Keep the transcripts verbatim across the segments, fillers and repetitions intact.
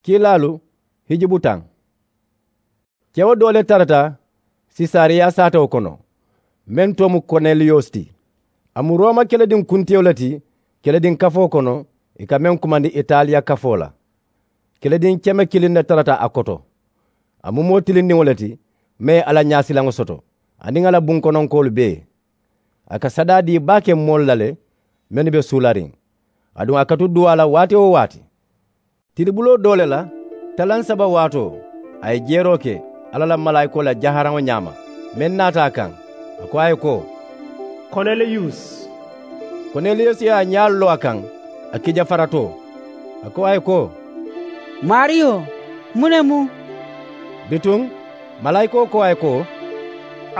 Kiilaalu hijibutaŋ. Kewo doo le tarata sesariya saatewo kono, meŋ too mu koneliyusi ti. A mu rooma kelediŋ kuntiyo le ti kelediŋ kafoo kono, ì ka meŋ kumandi italiya kafoo la. Kelediŋ keme kiliŋ ne tarata a koto. A mu moo tilindiŋo le ti, meŋ ye alla ñaasilaŋo soto, aniŋ a la bunkononkoolu bee. A ka sadaa dii baake moolu la le, mennu be suulariŋ. Aduŋ a ka tu duwaa la waati-wo-waati. Tilibuloo doo le la talaŋ saba waatoo, a ye jeeroo ke alla la malaayikoo la jaharaŋo ñaama, meŋ naata a kaŋ. A ko a ye ko, koneliyusi. Koneliyusi ye a ñaalu loo a kaŋ, a kijafaratoo. A ko a ye ko, maariyo, muŋ ne mu? Bituŋ malaayikoo ko a ye ko,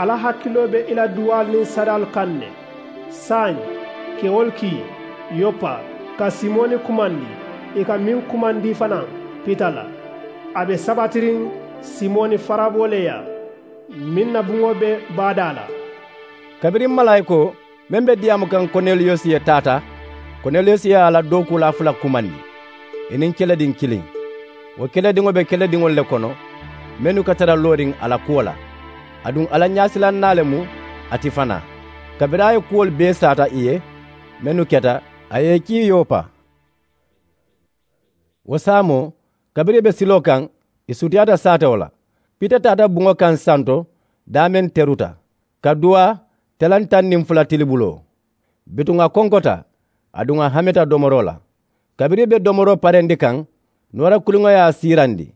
alla hakiloo be i la duwaalu niŋ sadaalu kaŋ ne. Saayiŋ, kewolu kii yopa ka simoni kumandi, ì ka meŋ kumandi fanaa pita la. A be sabatiriŋ simoni faraboo le yaa, meŋ na buŋo be baadaa la. Kabiriŋ malaayikoo meŋ be diyaamu kaŋ koneliyusi ye taata, koneliyusi ye a la dookuulaa fula kumandi, ì niŋ kelediŋ kiliŋ. Wo kelediŋo be kelediŋolu le kono, mennu ka tara looriŋ a la kuwo la. Aduŋ alla ñaasilannaa le mu a ti fanaa. Kabiriŋ a ye kuwolu bee saata ì ye mennu keta, a ye ì kii yopa. Wo saamoo, kabiriŋ ì be siloo kaŋ, ì sutiyaata saatewo la. Pita taata buŋo kaŋ santo daameŋ teruta, ka duwaa talaŋ taŋ niŋ fula tilibuloo. Bituŋ a konkota, aduŋ a hamita domoroo la. Kabiriŋ ì be domoroo parendi kaŋ, noora kuliŋo ye a siirandi,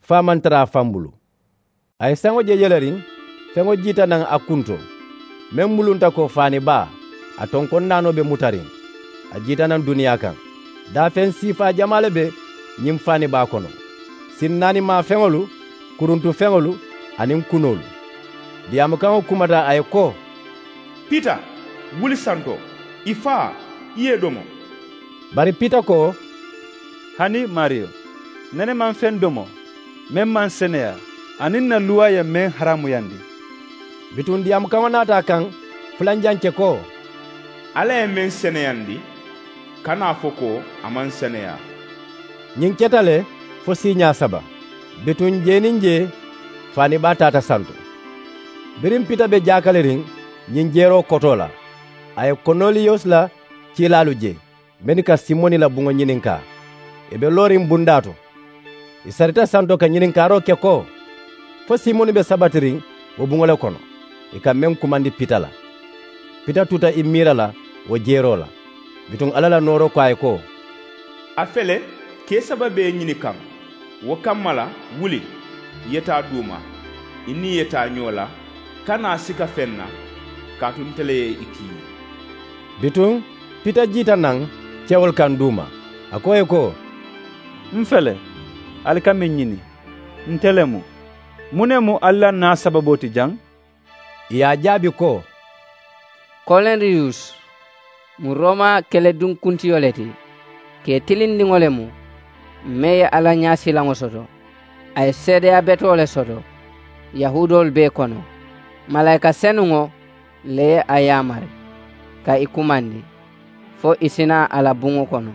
fo a maŋ tara a faŋ bulu. A ye saŋo je yeleriŋ, feŋo jiita naŋ a kunto, meŋ mulunta ko faani baa, a tonkoŋ naanoo be mutariŋ. A jiita naŋ duniyaa kaŋ. Daafeŋ siifaa jamaa le be ñiŋ faani baa kono, sinnaanimaa feŋolu, kuruntu feŋolu, aniŋ kunoolu. Diyaamukaŋo kumata a ye ko, pita, wuli santo, i faa, i ye i domo. Bari pita ko, hani maariyo, nene maŋ feŋ domo meŋ maŋ seneyaa, aniŋ ǹ na luwaa ye meŋ haraamuyandi. Bituŋ diyaamukaŋo naata a kaŋ fulanjaŋ ke ko, alla ye meŋ seneyandi, kana a fo ko a maŋ seneyaa. Ñiŋ keta le fo siiñaa saba. Bituŋ jee niŋ jee, faani baa taata santo. Biriŋ pita be jaakaliriŋ ñiŋ jeeroo kotoo la, a ye koneliyusi la kiilaalu je, mennu ka simoni la buŋo ñininkaa. Ì be looriŋ bundaa to. Ì sarita santo ka ñininkaaroo ke ko, fo simoni be sabatiriŋ wo buŋo le kono, ì ka meŋ kumandi pita la. Pita tuta ì miira la wo jeeroo la. Bituŋ alla la nooroo ko a ye ko, a fele, kee saba be i ñinikaŋ. Wo kamma la, wuli, i ye taa duuma, i niŋ i ye taa ñoo la, kana a sika feŋ na, kaatu nte le ye i kii. Bituŋ pita jiita naŋ kewolu kaŋ duuma, a ko ì ye ko, m fele, ali ka meŋ ñini. Nte le mu. Muŋ ne mu ali la naa sababoo ti jaŋ? Ì ye a jaabi ko, koneliyusi mu rooma kelediŋ kuntiyo le ti, kee tilindiŋo le mu, meŋ ye alla ñaasilaŋo soto. A ye seedeyaa betoo le soto yahuudoolu bee kono. Malaayika senuŋo le ye a yaamari ka i kumandi, fo i si naa a la buŋo kono,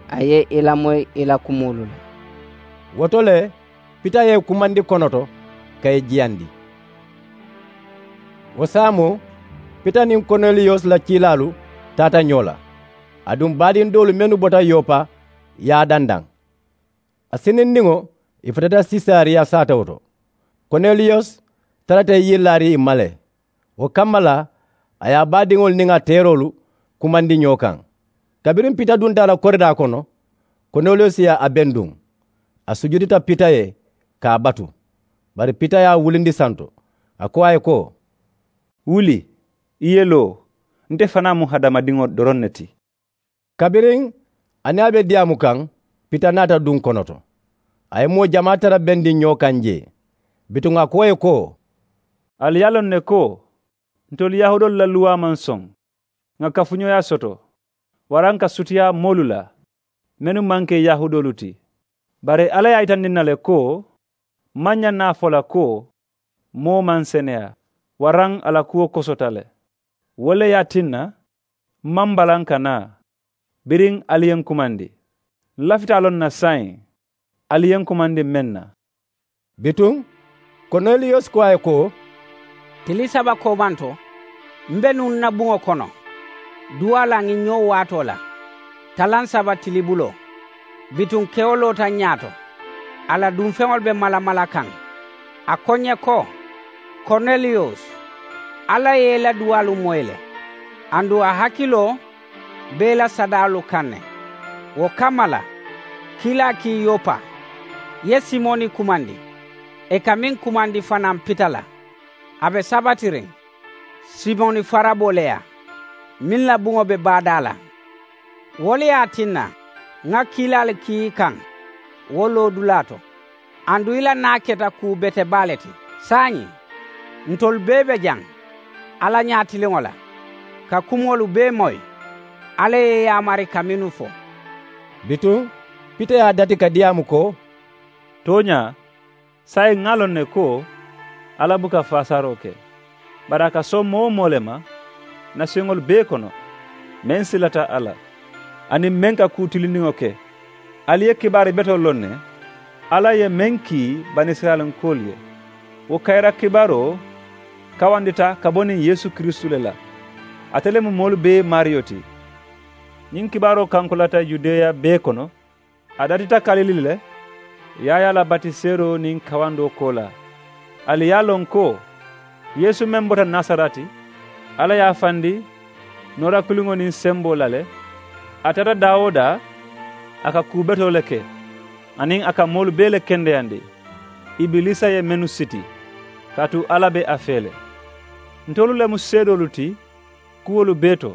a ye i lamoyi i la kumoolu la. Wo to le, pita ye i kumandi konoto ka i jiyandi. Wo saamoo, pita niŋ koneliyusi la kiilaalu taata ñoo la. Aduŋ baadiŋ doolu mennu bota yopa ye a dandaŋ. A sinindiŋo, ì futata sesariya saatewo to. Koneliyusi tarata ì yee laariŋ ì ma le. Wo kamma la, a ye a baadiŋolu niŋ a teeroolu kumandi ñoo kaŋ. Kabiriŋ pita dunta a la koridaa kono, koneliyusi ye a benduŋ. A sujudita pita ye ka a batu. Bari pita ye a wulindi santo, a ko a ye ko, wuli, i ye loo. Nte fanaa mu hadamadiŋo doroŋ ne ti. Kabiriŋ a niŋ a be diyaamu kaŋ, pita naata duŋ konoto. A ye moo jamaa tara bendiŋ ñoo kaŋ jee. Bituŋ a ko ì ye ko, ali ye a loŋ ne ko ntolu yahuudoolu la luwaa maŋ soŋ ŋà kafuñooyaa soto, waraŋ ka sutiyaa moolu la mennu maŋ ke yahuudoolu ti. Bari alla ye a yitandi ǹ na le ko m maŋ ñaŋ na a fo la ko moo maŋ seneyaa, waraŋ a la kuwo kosota le. Wo le ye a tinna m maŋ balaŋ ka naa. Biriŋ ali ye ǹ kumandi, ǹ lafita a loŋ na saayiŋ. Ali ye n kumandi meŋ na. Bituŋ, koneliyusi ko a ye ko, tili saba koomanto m be nuŋ n na buŋo kono duwaa la ŋiŋ ñoo waatoo la talaŋ saba tilibuloo. Bituŋ kewo loota n ñaato, a la dunfeŋolu be malamala kaŋ. A ko n ye ko, korneliyusi, alla ye i la duwaalu moyi le. Aduŋ a hakiloo be i la sadaalu kaŋ ne. Wo kamma la, kiilaa kii yopa, i ye simoni kumandi, ì ka meŋ kumandi fanaa pita la. A be sabatiriŋ simoni faraboo le yaa, meŋ la buŋo be baadaa la. Wo le ye a tinna ŋa kiilaalu kii i kaŋ wo loodulaa to. Aduŋ i la naa keta kuu bete baa le ti. Saayiŋ ntolu bee be jaŋ alla ñaatiliŋo la, ka kumoolu bee moyi alla ye i yaamari ka mennu fo. Bituŋ pita ye a dati ka diyaamu ko, tooñaa, saayiŋ ŋa a loŋ ne ko alla buka faasaroo ke, bari a ka soŋ moo-wo-moo le ma nasiyoŋolu bee kono meŋ silata a la, aniŋ meŋ ka kuu tilindiŋo ke. Ali ye kibaari betoo loŋ ne, alla ye meŋ kii banisirayilankoolu ye. Wo kayira kibaaroo kawandita ka bo niŋ yeesu kiristu le la. Ate le mu moolu bee maariyo ti. Ñiŋ kibaaroo kankulata yudeya bee kono, a datita kalili le, yaayaa la batiseeroo niŋ kawandoo koolaa. Ali ye a loŋ ko yeesu meŋ bota nasarati, alla ye a fandi noora kiliŋo niŋ semboo la le. A taata daa-wo-daa, a ka kuu betoo le ke, aniŋ a ka moolu bee le kendeyandi. Ibiliisa ye mennu siti, kaatu alla be a fee le. Ntolu le mu seedoolu ti kuwolu bee to.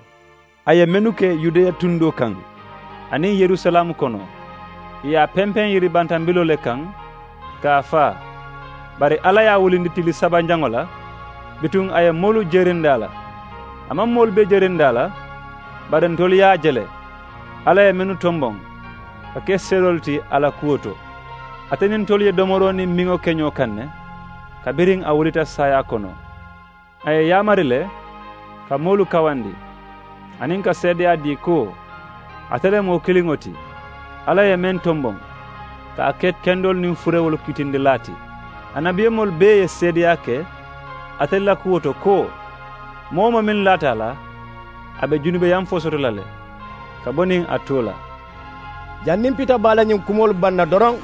A ye mennu ke yudeya tundoo kaŋ aniŋ yerusalaamu kono, ì ye a pempeŋ yiribantambiloo le kaŋ, ka a faa. Bari alla ye a wulindi tili sabanjaŋo la, bituŋ a ye moolu jerindi a la. A maŋ moolu bee jerindi a la, bari ntolu ye a je le. Alla ye mennu tomboŋ ka ke seedoolu ti a la kuwo to, ate niŋ ntolu ye domoroo niŋ miŋo ke ñoo kaŋ ne, kabiriŋ a wulita saayaa kono. A ye yaamari le ka moolu kawandi, aniŋ ka seedeyaa dii ko ate le moo kiliŋo ti. Alla ye meŋ tomboŋ ka a ke kendoolu niŋ furewolu kitindilaa ti. Annabiyomoolu bee ye seedeyaa ke ate la kuwo to ko, moo-wo-moo meŋ laata a la, a be junubeyaŋ fo soto la le ka bo niŋ a too la. Janniŋ pita be a la ñiŋ kumoolu baŋ na doroŋ,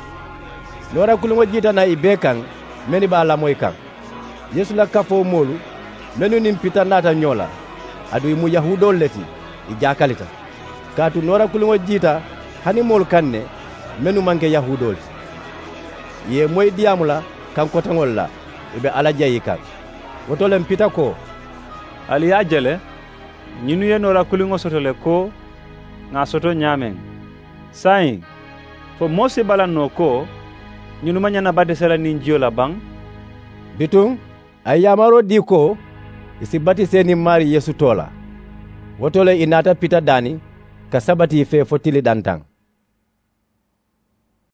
noora kiliŋo jiita naŋ ì bee kaŋ mennu be a lamoyi kaŋ. Yeesu la kafoo moolu mennu niŋ pita naata ñoo la, aduŋ ì mu yahuudoolu le ti, ì jaakalita. Kaatu noora kiliŋo jiita hani moolu kaŋ ne mennu maŋ ke yahuudoolu ti. Ì ye ì moyi diyaamu la kaŋ koteŋolu la, ì be alla jayi kaŋ. Wo to le m pita ko, ali ye a je le, ñinnu ye noora kiliŋo soto le ko ŋà a soto ñaameŋ. Saayiŋ, fo moo si bala noo ko ñinnu maŋ ñaŋ na batise la niŋ jiyo la baŋ? Bituŋ a ye yaamaroo dii ko ì si batise niŋ maarii yeesu too la. Wo to le ì naata pita daani ka sabati ì fee fo tili dantaŋ.